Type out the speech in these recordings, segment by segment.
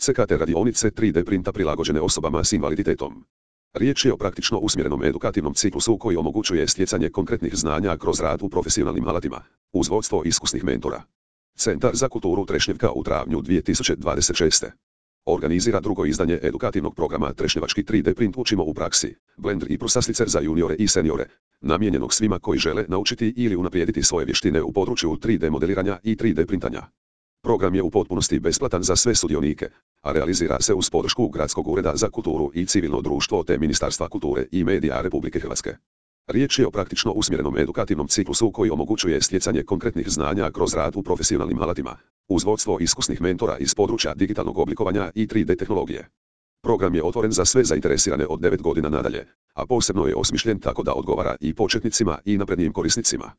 CKT radionice 3D printa prilagođene osobama s invaliditetom. Riječ je o praktično usmjerenom edukativnom ciklusu koji omogućuje stjecanje konkretnih znanja kroz rad u profesionalnim alatima, uz vodstvo iskusnih mentora. Centar za kulturu Trešnjevka u travnju 2026. organizira drugo izdanje edukativnog programa Trešnjevački 3D print učimo u praksi, Blender i Prusasticer za juniore i seniore, namijenjenog svima koji žele naučiti ili unaprijediti svoje vještine u području 3D modeliranja i 3D printanja. Program je u potpunosti besplatan za sve sudionike, a realizira se uz podršku Gradskog ureda za kulturu i civilno društvo te Ministarstva kulture i medija Republike Hrvatske. Riječ je o praktično usmjerenom edukativnom ciklusu koji omogućuje stjecanje konkretnih znanja kroz rad u profesionalnim alatima, uz vodstvo iskusnih mentora iz područja digitalnog oblikovanja i 3D tehnologije. Program je otvoren za sve zainteresirane od 9 godina nadalje, a posebno je osmišljen tako da odgovara i početnicima i naprednijim korisnicima.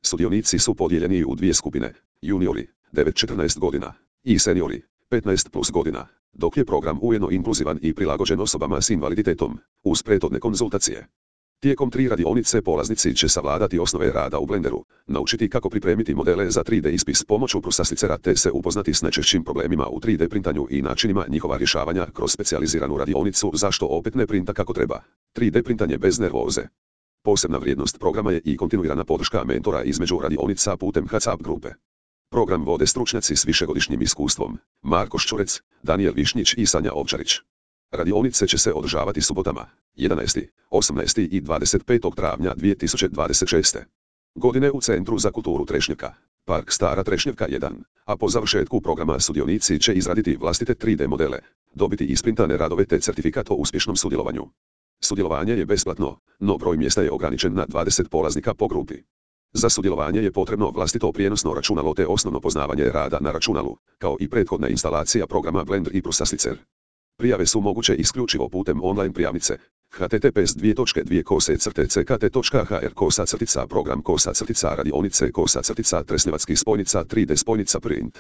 Sudionici su podijeljeni u dvije skupine, juniori, 9-14 godina, i seniori, 15+ godina, dok je program ujedno inkluzivan i prilagođen osobama s invaliditetom, uz prethodne konzultacije. Tijekom 3 radionice polaznici će savladati osnove rada u Blenderu, naučiti kako pripremiti modele za 3D ispis pomoću Prusasticera te se upoznati s najčešćim problemima u 3D printanju i načinima njihova rješavanja kroz specijaliziranu radionicu zašto opet ne printa kako treba. 3D printanje bez nervoze. Posebna vrijednost programa je i kontinuirana podrška mentora između radionica putem WhatsApp grupe. Program vode stručnjaci s višegodišnjim iskustvom, Marko Ščurec, Danijel Višnjić i Sanja Ovčarić. Radionice će se održavati subotama, 11., 18. i 25. travnja 2026. godine u Centru za kulturu Trešnjevka, Park Stara Trešnjevka 1, a po završetku programa sudionici će izraditi vlastite 3D modele, dobiti isprintane radove te certifikat o uspješnom sudjelovanju. Sudjelovanje je besplatno, no broj mjesta je ograničen na 20 polaznika po grupi. Za sudjelovanje je potrebno vlastito prijenosno računalo te osnovno poznavanje rada na računalu, kao i prethodna instalacija programa Blender i Prusasticer. Prijave su moguće isključivo putem online prijavnice https://ckt.ck.hr/program/radionice/Tresnjevatski spojnica 3D spojnica print.